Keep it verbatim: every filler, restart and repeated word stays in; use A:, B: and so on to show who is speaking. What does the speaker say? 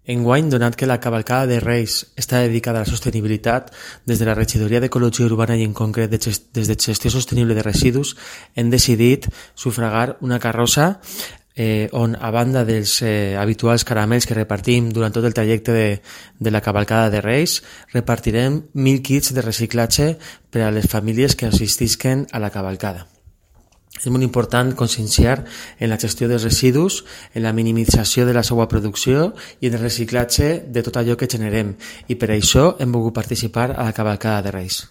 A: Enguany, donat que la cavalcada de Reis està dedicada a la sostenibilitat, des de la Regidoria d'Ecologia Urbana i en concret des de Gestió Sostenible de Residus, hem decidit sufragar una carrossa eh, on, a banda dels eh, habituals caramels que repartim durant tot el trajecte de, de la cavalcada de Reis, repartirem mil kits de reciclatge per a les famílies que assistisquen a la cavalcada. És molt important conscienciar en la gestió dels residus, en la minimització de la seva producció i en el reciclatge de tot allò que generem, i per això hem volgut participar a la cavalcada de Reis.